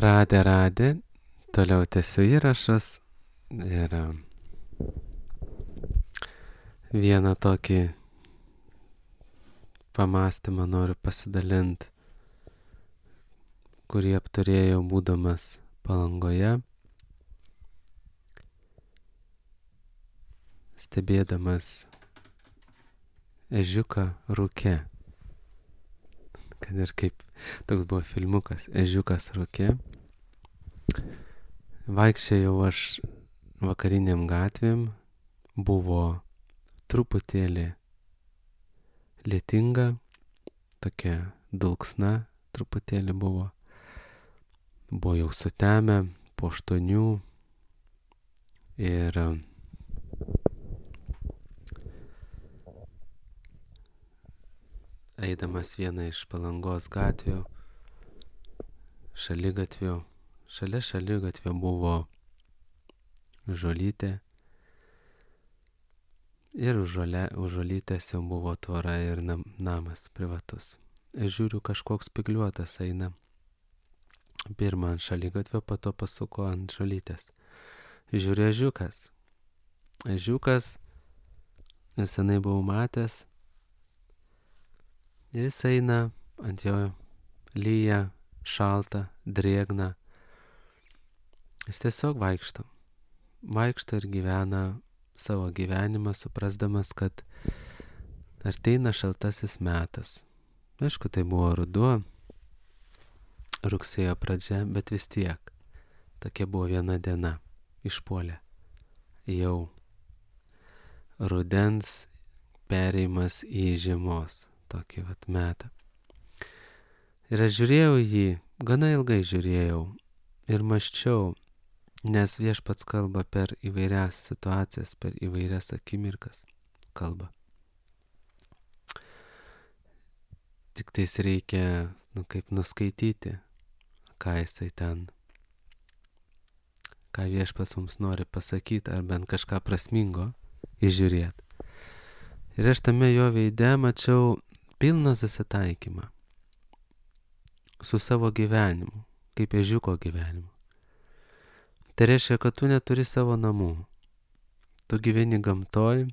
Radė, toliau tęsiu įrašus ir vieną tokį pamastymą noriu pasidalinti, kurį apturėjau būdamas Palangoje, stebėdamas ežiuką rūke. Kad ir kaip toks buvo filmukas, ežiukas rūke. Vaikščiojau aš vakariniam gatvėm, buvo truputėlį lietinga, tokia dulksna truputėlį buvo. Buvo jau sutemę po 8 ir eidamas vieną iš Palangos gatvių, šalia šaligatvio buvo žolytė ir už žolytės jau buvo tvora ir namas privatus. Ir žiūriu, kažkoks spygliuotas eina. Pirmą ant šaligatvio, po to pasuko ant žolytės. Žiūriu, ežiukas, nesenai buvau matęs. Ir jis eina, ant jo lyja, šalta, drėgna. Jis tiesiog vaikšto ir gyvena savo gyvenimą, suprasdamas, kad ateina šaltasis metas. Aišku, tai buvo ruduo, rugsėjo pradžia, bet vis tiek. Tokia buvo viena diena, išpuolė. Jau rudens perėjimas į žiemos. Tokį metą. Ir aš žiūrėjau jį, gana ilgai žiūrėjau ir mąsčiau, nes Viešpats kalba per įvairias situacijas, per įvairias akimirkas kalba. Tik tais reikia, kaip nuskaityti, ką jisai ten, ką Viešpats mums nori pasakyti, ar bent kažką prasmingo įžiūrėti. Ir aš tame jo veide mačiau pilną susitaikymą su savo gyvenimu, kaip ežiuko gyvenimu. Tai reiškia, kad tu neturi savo namų. Tu gyveni gamtoj,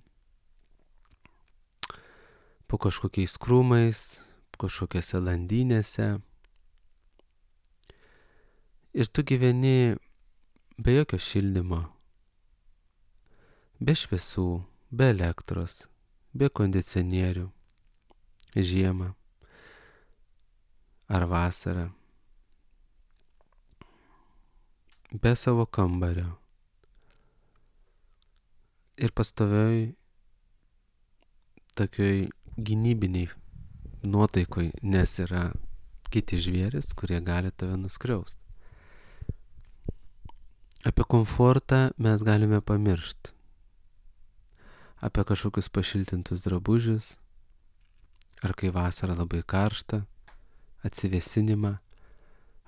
po kažkokiais krūmais, kažkokiose landynėse. Ir tu gyveni be jokio šildymo, be šviesų, be elektros, be kondicionierių. Žiemą ar vasarą, be savo kambario ir pastovioj tokioj gynybiniai nuotaikoj, nes yra kiti žvėris, kurie gali tave nuskriausti. Apie komfortą mes galime pamiršti, apie kažkokius pašiltintus drabužius, ar kai vasara labai karšta, atsivėsinimą,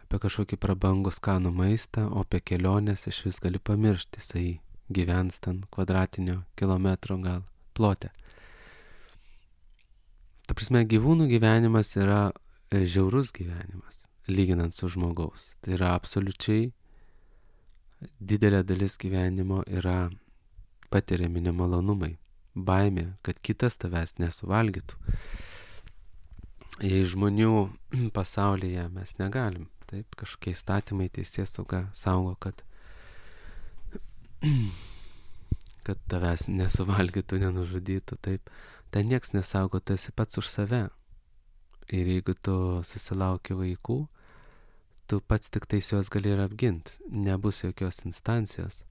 apie kažkokį prabangų skanų maistą, o apie kelionės iš vis gali pamiršti, jisai gyvens ten kvadratinio kilometro gal plote. Ta prasme, gyvūnų gyvenimas yra žiaurus gyvenimas, lyginant su žmogaus. Tai yra absoliučiai didelė dalis gyvenimo yra patiriami nemalonumai, baimė, kad kitas tavęs nesuvalgytų. Jei žmonių pasaulyje mes negalim, taip, kažkokie įstatymai, teisėsauga saugo, kad tavęs nesuvalgytų, nenužudytų, taip. Ten nieks nesaugo, tu esi pats už save. Ir jeigu tu susilauki vaikų, tu pats tik tais juos gali ir apginti. Nebus jokios instancijos,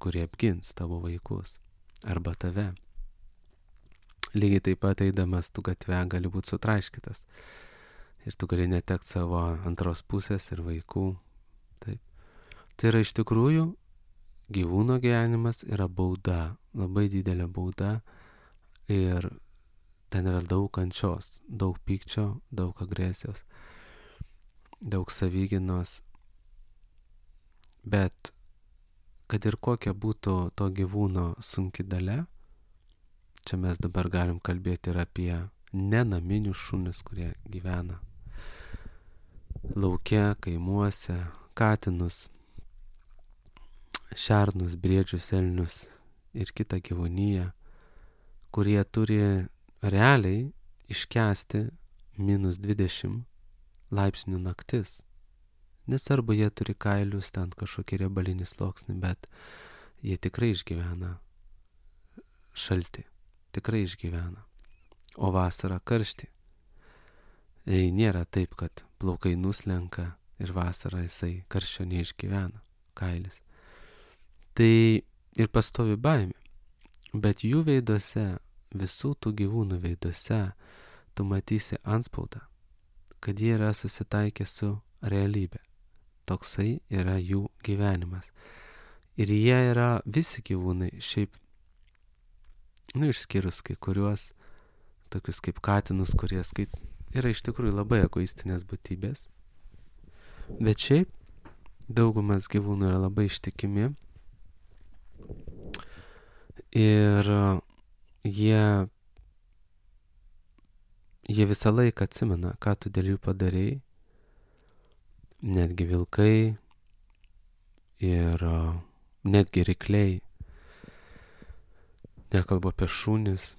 kurie apgins tavo vaikus arba tave. Lygiai taip pat eidamas tu gatve gali būti sutraiškytas. Ir tu gali netekti savo antros pusės ir vaikų. Taip. Tai yra iš tikrųjų gyvūno gyvenimas yra bauda, labai didelė bauda. Ir ten yra daug kančios, daug pykčio, daug agresijos, daug savygynos. Bet kad ir kokia būtų to gyvūno sunki dalia, čia mes dabar galim kalbėti ir apie nenaminius šunis, kurie gyvena lauke, kaimuose, katinus, šernus, briedžius, elnius ir kitą gyvūniją, kurie turi realiai iškęsti -20 laipsnių naktis. Nesvarbu, jie turi kailius, ten kažkokį riebalinį sluoksnį, bet jie tikrai išgyvena šaltį, tikrai išgyvena. O vasarą karštį. Jei nėra taip, kad plaukai nuslenka ir vasarą jisai karščio neišgyvena, kailis. Tai ir pastovi baimė. Bet jų veiduose, visų tų gyvūnų veiduose, tu matysi antspaudą, kad jie yra susitaikę su realybė. Toksai yra jų gyvenimas. Ir jie yra visi gyvūnai, šiaip, išskyrus kai kuriuos, tokius kaip katinus, kurie yra iš tikrųjų labai egoistinės būtybės. Bet šiaip, daugumas gyvūnų yra labai ištikimi. Ir jie visą laiką atsimena, ką tu dėl jų padarei. Netgi vilkai ir netgi rykliai. Nekalbu apie šunis.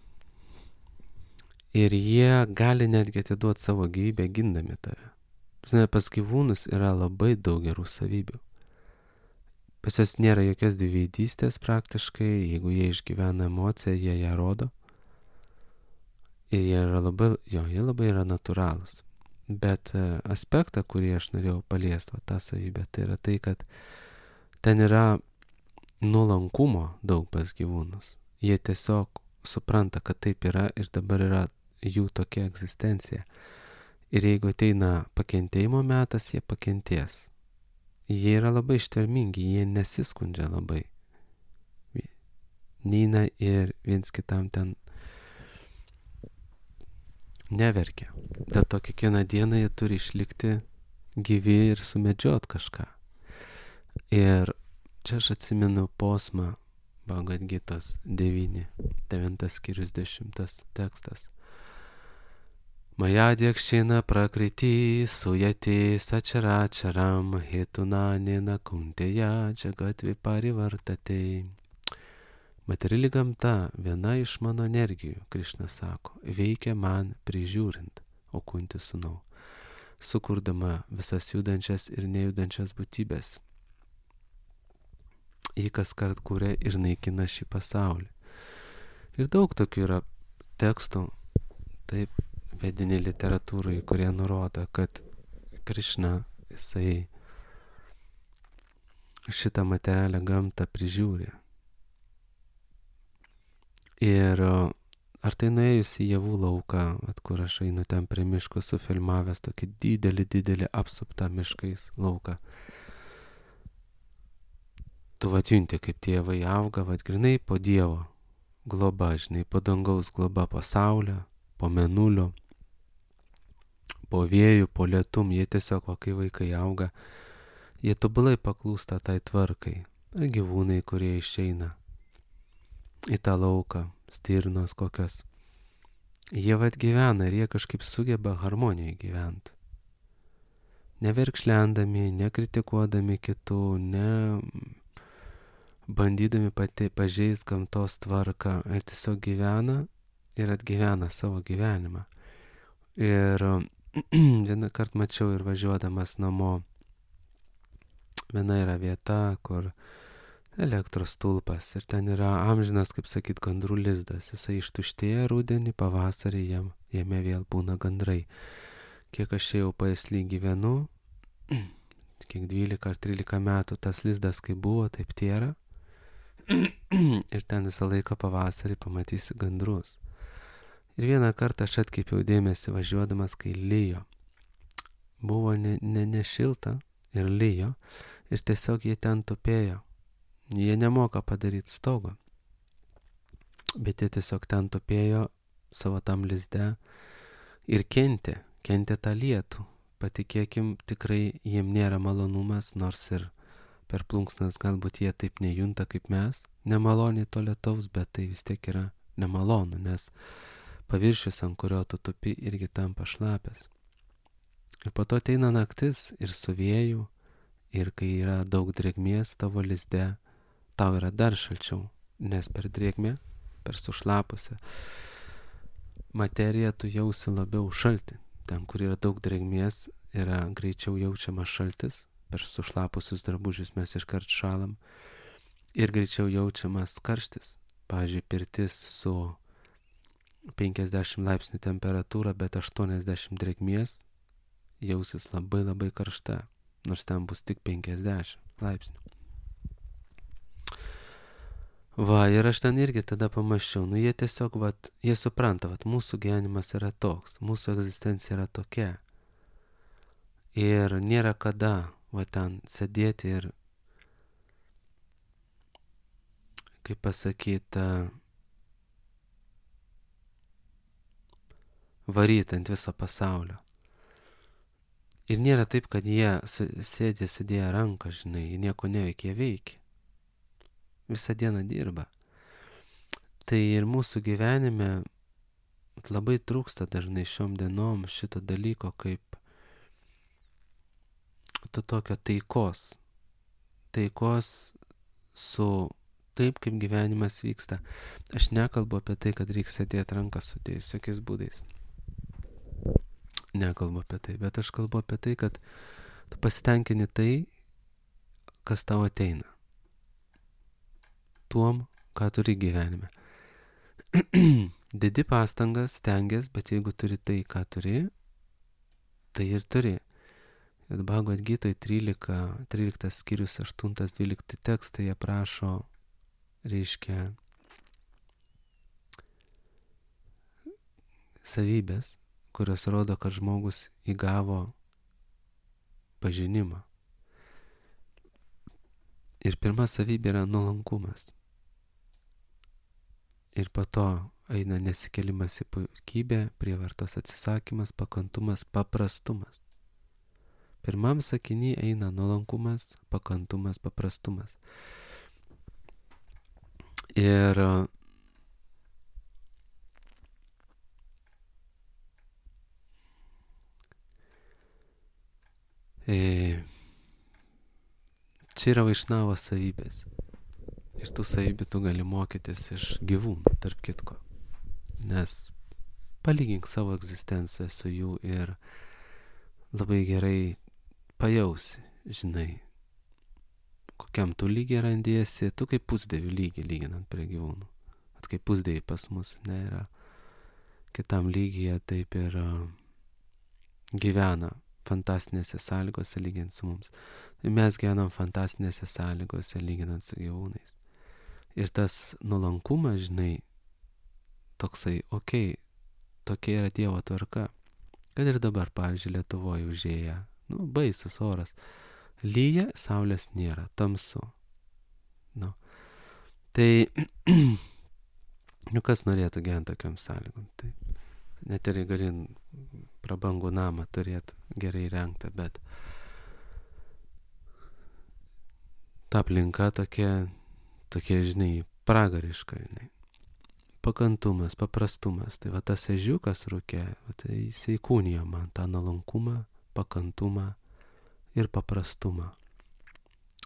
Ir jie gali netgi atiduoti savo gyvybę gindami tave. Pas gyvūnus yra labai daug gerų savybių. Pas jos nėra jokios dviveidystės praktiškai, jeigu jie išgyvena emociją, jie ją rodo. Ir jie labai yra natūralūs. Bet aspektą, kurį aš norėjau paliesti, tą savybę, tai yra tai, kad ten yra nuolankumo daug pas gyvūnus. Jie tiesiog supranta, kad taip yra ir dabar yra jų tokia egzistencija. Ir jeigu ateina pakentėjimo metas, jie pakentės. Jie yra labai ištvermingi, jie nesiskundžia labai. Neina ir viens kitam ten neverkia. Dėl to kiekvieną dieną jie turi išlikti gyvi ir sumedžiot kažką. Ir čia aš atsimenu posmą Bhagavad Gitos 9 skyrius 10 tekstas. Maya dhyakshena prakriti suyate sacharacharam hetunanena kunteya jagat viparivartate. Materiali gamta, viena iš mano energijų, Krišna sako, veikia man prižiūrint, o kunti sūnau, sukurdama visas judančias ir nejudančias būtybės. Ji kaskart kūrė ir naikina šį pasaulį. Ir daug tokių yra tekstų, taip, vedinė literatūrai, kurie nurodo, kad Krišna, jisai šitą materialią gamtą prižiūri. Ir ar tai nuėjus į javų lauką, kur aš einu ten prie miško, sufilmavęs tokį didelį apsuptą miškais lauką. Tu junti, kaip tie javai auga, grinai po Dievo globa, žinai, po dangaus globa, po saulę, po mėnulio, po vėjų, po lietum, jie tiesiog, kai vaikai auga, jie tobulai paklūsta tai tvarkai. Ir gyvūnai, kurie išeina į tą lauką, stirnos kokios, jie gyvena ir jie kažkaip sugeba harmonijoje gyventi. Neverkšlendami, nekritikuodami kitų, ne bandydami pažeist gamtos tvarką, ir tiesiog gyvena ir atgyvena savo gyvenimą. Ir vieną kartą mačiau ir važiuodamas namo, viena yra vieta, kur elektros stulpas ir ten yra amžinas, kaip sakyt, gandrų lizdas. Jisai ištuštėja rudenį, pavasarį jame vėl būna gandrai. Kiek aš jau Pajasly gyvenu, kiek 12 ar 13 metų tas lizdas kaip buvo, taip tėra. Ir ten visą laiką pavasarį pamatysi gandrus. Ir vieną kartą aš atkreipiau dėmesį važiuodamas, kai lijo. Buvo ne šilta ir lijo ir tiesiog jie ten tupėjo. Jie nemoka padaryti stogo, bet jie tiesiog ten tupėjo savo tam lizde ir kentė tą lietų. Patikėkim, tikrai jiem nėra malonumas, nors ir per plunksnas galbūt jie taip nejunta kaip mes, nemaloniai to lietaus, bet tai vis tiek yra nemalonu, nes paviršius, ant kurio tu tupi, irgi tampa šlapias. Ir po to ateina naktis ir su vėju, ir kai yra daug drėgmės tavo lizde, tau yra dar šalčiau, nes per drėgmę, per sušlapusią materiją tu jausi labiau šaltį. Ten, kur yra daug drėgmės, yra greičiau jaučiamas šaltis, per sušlapusius drabužius mes iškart šalam ir greičiau jaučiamas karštis. Pavyzdžiui, pirtis su 50 laipsnių temperatūra, bet 80 drėgmės jausis labai labai karšta, nors ten bus tik 50 laipsnių. Va, ir aš ten irgi tada pamačiau, jie tiesiog, jie supranta, mūsų gyvenimas yra toks, mūsų egzistencija yra tokia. Ir nėra kada, ten sėdėti ir, kaip pasakyti, varyti ant viso pasaulio. Ir nėra taip, kad jie sėdėję ranką, žinai, jie nieko neveikia, jie veikia. Visą dieną dirba. Tai ir mūsų gyvenime labai trūksta dažnai šiom dienom šito dalyko kaip to tokio taikos. Taikos su taip, kaip gyvenimas vyksta. Aš nekalbu apie tai, kad reikia sėdėti ranką sudėjus jokiais būdais. Nekalbu apie tai, bet aš kalbu apie tai, kad tu pasitenkini tai, kas tau ateina. Tuom, ką turi gyvenime. Dedi pastangas, stengias, bet jeigu turi tai, ką turi, tai ir turi. Ir Bhagavad Gitoj 13 skyrius 8-12 tekstai jie prašo, reiškia, savybės, kurios rodo, kad žmogus įgavo pažinimą. Ir pirma savybė yra nuolankumas. Ir po to eina nesikėlimas į puikybę, prievartos atsisakymas, pakantumas, paprastumas. Pirmam sakiny eina nuolankumas, pakantumas, paprastumas. Ir čia yra vaišnavo savybės. Ir tų savybių tu gali mokytis iš gyvūnų, tarp kitko. Nes palygink savo egzistenciją su jų ir labai gerai pajausi, žinai, kokiam tu lygiai randiesi, tu kaip pusdievių lygiai lyginant prie gyvūnų. Kaip pusdieviai pas mus yra kitam lygyje, taip ir gyvena fantastinėse sąlygose lyginant su mums. Tai mes gyvenam fantastinėse sąlygose lyginant su gyvūnais. Ir tas nuolankumas, žinai, toksai, tokia yra Dievo tvarka. Kad ir dabar, pavyzdžiui, Lietuvoje užėję, baisus oras. Lyja, saulės nėra, tamsu. Tai, kas norėtų gyventi tokiam sąlygom? Tai net ir gali prabangų namą turėti gerai rengtą, bet ta aplinka tokia, žinai, pragariška, žinai. Pakantumas, paprastumas. Tai tas ežiukas rūke, tai jis įkūnijo man tą nuolankumą, pakantumą ir paprastumą.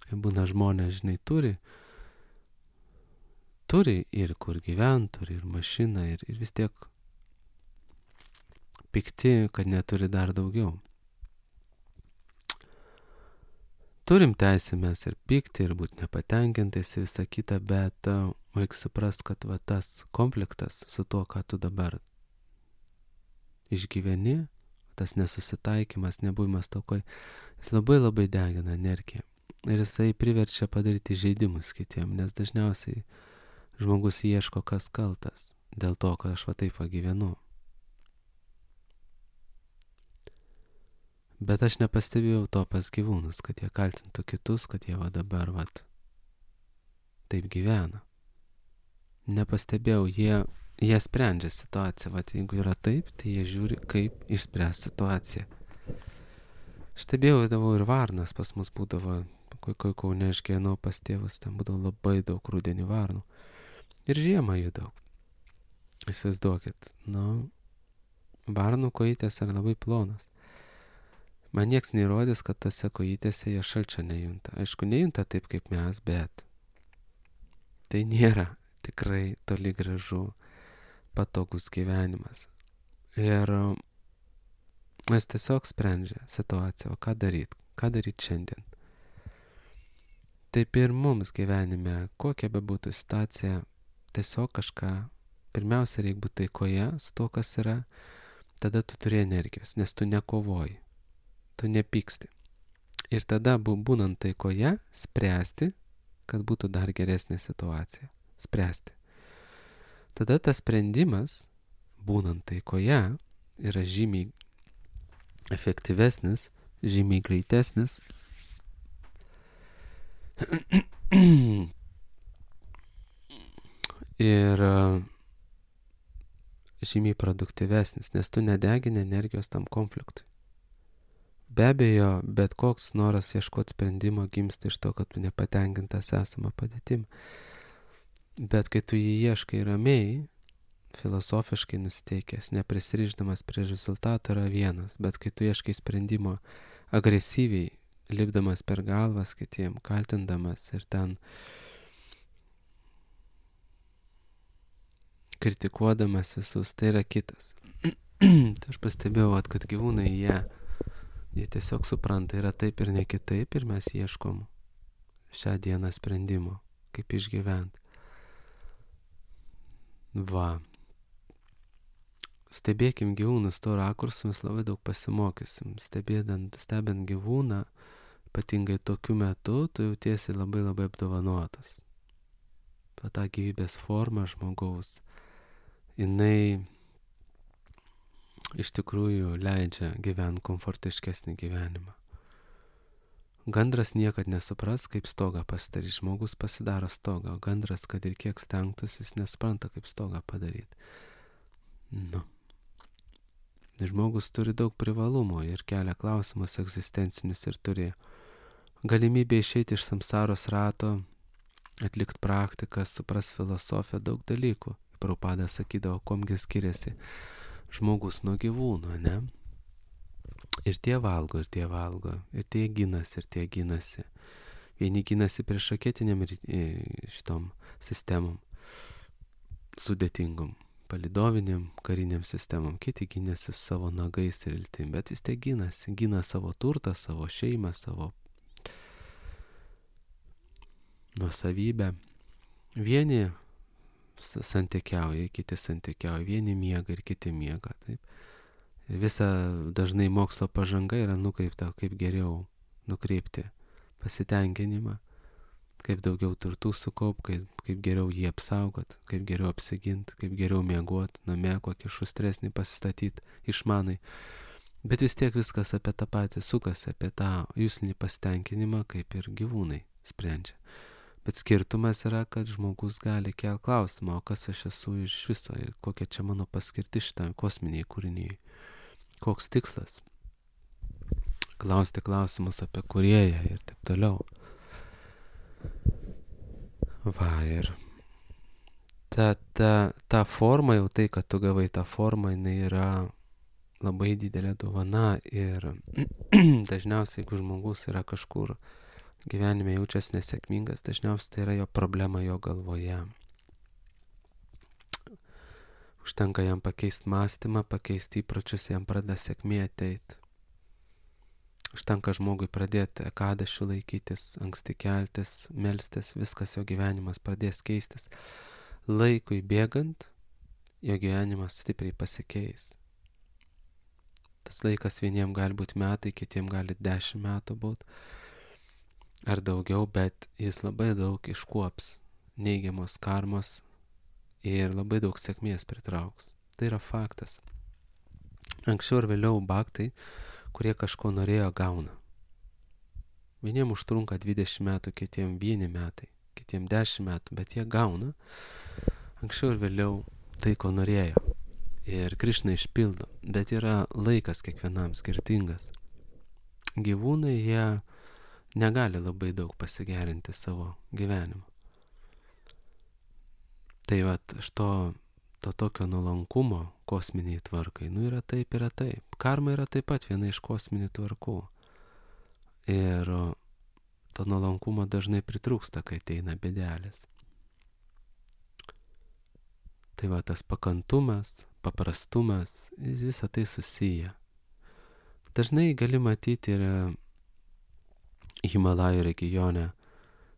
Ir būna žmonės, žinai, turi ir kur gyventi, turi ir mašiną, ir vis tiek pikti, kad neturi dar daugiau. Turim teisę mes ir pykti, ir būti nepatenkintais, ir visą kitą, bet reikia suprast, kad tas konfliktas su tuo, ką tu dabar išgyveni, tas nesusitaikymas, nebuvimas tokoj, jis labai labai degina energiją. Ir jisai priverčia padaryti žaidimus kitiem, nes dažniausiai žmogus ieško, kas kaltas dėl to, kad aš taip gyvenu. Bet aš nepastebėjau to pas gyvūnus, kad jie kaltintų kitus, kad jie dabar taip gyvena. Nepastebėjau, jie sprendžia situaciją. Jeigu yra taip, tai jie žiūri, kaip išspręs situaciją. Stebėjau ir varnas pas mus būdavo, kai Kaune aš gyvenau pas tėvus, ten būdavo labai daug rudenį varnų. Ir žiemą jų daug. Įsivaizduokit, varnų kojytės yra labai plonas. Man nieks neįrodys, kad tose kojytėse jie šalčio nejunta. Aišku, nejunta taip kaip mes, bet tai nėra tikrai toli gražu patogus gyvenimas. Ir jis tiesiog sprendžia situaciją, o ką daryti šiandien. Taip ir mums gyvenime, kokia bebūtų situacija, tiesiog kažką, pirmiausia, reikia būti taikoje su to, kas yra, tada tu turi energijos, nes tu nekovoji, tu nepyksti. Ir tada, būnant taikoje, spręsti, kad būtų dar geresnė situacija. Spręsti. Tada tas sprendimas, būnant taikoje, yra žymiai efektyvesnis, žymiai greitesnis ir žymiai produktyvesnis, nes tu nedegini energijos tam konfliktui. Be abejo, bet koks noras ieškoti sprendimo gimsta iš to, kad tu nepatenkintas esama padėtim. Bet kai tu jį ieškai ramiai, filosofiškai nusiteikęs, neprisirišdamas prie rezultato yra vienas, bet kai tu ieškai sprendimo agresyviai, lipdamas per galvas kitiem, kaltindamas ir ten kritikuodamas visus, tai yra kitas. Tai aš pastebėjau, kad gyvūnai jie tiesiog supranta, yra taip ir ne kitaip, ir mes ieškom šią dieną sprendimo, kaip išgyventi. Va. Stebėkim gyvūnus to rakursu, mes labai daug pasimokysim. Stebint gyvūną, ypatingai tokiu metu, tu jautiesi labai labai apdovanotas. Ta gyvybės forma žmogaus, jinai iš tikrųjų leidžia gyventi komfortiškesnį gyvenimą. Gandras niekad nesupras, kaip stogą pasidaryti. Žmogus pasidaro stogą, o gandras, kad ir kiek stengtųsi, jis nesupranta, kaip stogą padaryti. Žmogus turi daug privalumų ir kelia klausimus egzistencinius ir turi galimybę išeiti iš samsaros rato, atlikti praktikas, supras filosofiją, daug dalykų. Prabhupada sakydavo, komgi skiriasi žmogus nuo gyvūno, ne? Ir tie valgo, ir tie valgo, ir tie ginasi. Vieni ginasi prieš raketiniam šitom sistemom, sudėtingom, palidoviniam, kariniam sistemom, kiti ginasi su savo nagais ir iltim, bet vis tiek gina savo turtą, savo šeimą, savo nuosavybę. Vieni santykiauja, kiti santykiauja, vieni miega ir kiti miega, taip. Ir visa dažnai mokslo pažanga yra nukreipta, kaip geriau nukreipti pasitenkinimą, kaip daugiau turtų sukaupti, kaip geriau jį apsaugot, kaip geriau apsiginti, kaip geriau miegot, namie kokį šustresnį pasistatyti išmanai. Bet vis tiek viskas apie tą patį sukasi, apie tą juslinį pasitenkinimą, kaip ir gyvūnai sprendžia. Bet skirtumas yra, kad žmogus gali kelti klausimą, o kas aš esu iš viso ir kokia čia mano paskirtis šitam kosminiai kūriniai. Koks tikslas? Klausti klausimus apie kūrėją ir taip toliau. Va, ir ta forma, jau tai, kad tu gavai tą formą, jinai yra labai didelė dovana ir dažniausiai, jeigu žmogus yra kažkur gyvenime jaučiasi nesėkmingas, dažniausiai tai yra jo problema jo galvoje. Užtenka jam pakeisti mąstymą, pakeisti įpročius, jam pradeda sėkmė ateiti. Užtenka žmogui pradėti ekadašių laikytis, anksti keltis, melstis, viskas jo gyvenimas pradės keistis. Laikui bėgant, jo gyvenimas stipriai pasikeis. Tas laikas vieniem gali būti metai, kitiem gali 10 metų būti. Ar daugiau, bet jis labai daug iškuops neigiamos karmos ir labai daug sėkmės pritrauks. Tai yra faktas. Anksčiau ir vėliau bhaktai, kurie kažko norėjo, gauna. Vieniem užtrunka 20 metų, kitiem 1 metai, kitiem 10 metų, bet jie gauna anksčiau ir vėliau tai, ko norėjo. Ir Krišna išpildo, bet yra laikas kiekvienam skirtingas. Gyvūnai, jie negali labai daug pasigerinti savo gyvenimą. Tai vat, to tokio nuolankumo kosminiai tvarkai, yra taip, yra taip. Karma yra taip pat viena iš kosminių tvarkų. Ir to nuolankumo dažnai pritrūksta, kai ateina bėdelės. Tai va, tas pakantumas, paprastumas, visą tai susiję. Dažnai gali matyti ir Himalajų regione,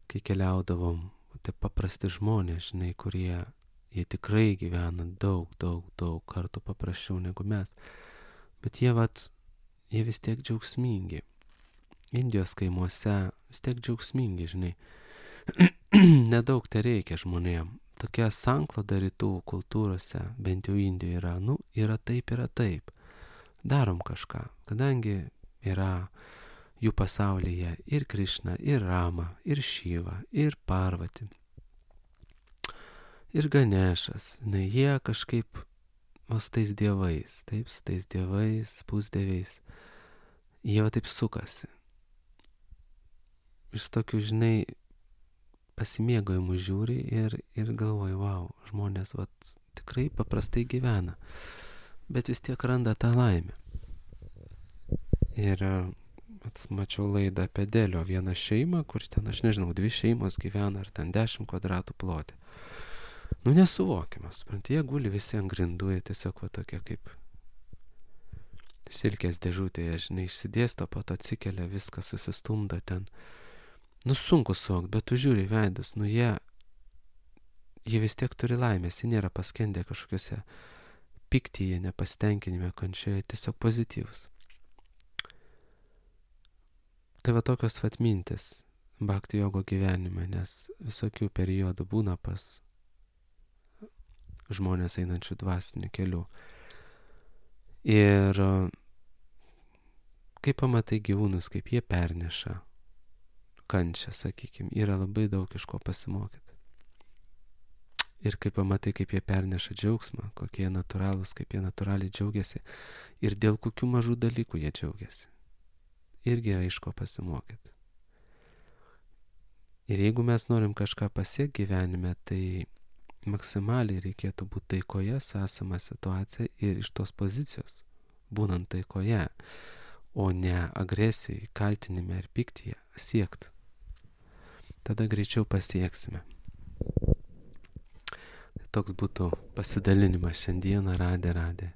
kai keliaudavom, tai paprasti žmonės, žinai, kurie jie tikrai gyvena daug kartų paprasčiau negu mes. Bet jie vis tiek džiaugsmingi. Indijos kaimuose vis tiek džiaugsmingi, žinai. Nedaug tai reikia žmonėm. Tokia sankloda rytų kultūrose, bent jau Indijoje yra taip. Darom kažką, kadangi yra jų pasaulyje ir Krišna, ir Rama, ir Šiva, ir Parvati, ir Ganešas. Jie kažkaip su tais dievais, pusdieviais, jie taip sukasi. Iš tokių, žinai, pasimėgojimų žiūri ir galvoju, wow, žmonės tikrai paprastai gyvena, bet vis tiek randa tą laimę. Ir mačiau laidą apie Delio vieną šeimą, kur ten, aš nežinau, 2 šeimos gyvena, ar ten 10 kvadratų plote. Nesuvokiamas, supranti, jie guli visi ant grindų, jie tiesiog tokie kaip silkės dėžutėje, žinai, išsidėsto, po to atsikelia, viskas susistumdo ten. Sunku suvokti, bet tu žiūri veidus, jie vis tiek turi laimės, jie nėra paskendę kažkokiuose piktyje, nepasitenkinime, kančioje, tiesiog pozityvus. Tai tokios mintis bhakti jogo gyvenime, nes visokių periodų būna pas žmonės einančių dvasiniu keliu. Ir kai pamatai gyvūnus, kaip jie perneša kančią, sakykime, yra labai daug iš ko pasimokyti. Ir kai pamatai, kaip jie perneša džiaugsmą, kokie jie natūralūs, kaip jie natūraliai džiaugiasi ir dėl kokių mažų dalykų jie džiaugiasi, irgi yra iš ko pasimokyti. Ir jeigu mes norim kažką pasiekti gyvenime, tai maksimaliai reikėtų būti taikoje su esama situacija ir iš tos pozicijos, būnant taikoje, o ne agresijai, kaltinime ir piktyje siekti. Tada greičiau pasieksime. Toks būtų pasidalinimas šiandieną. Radė.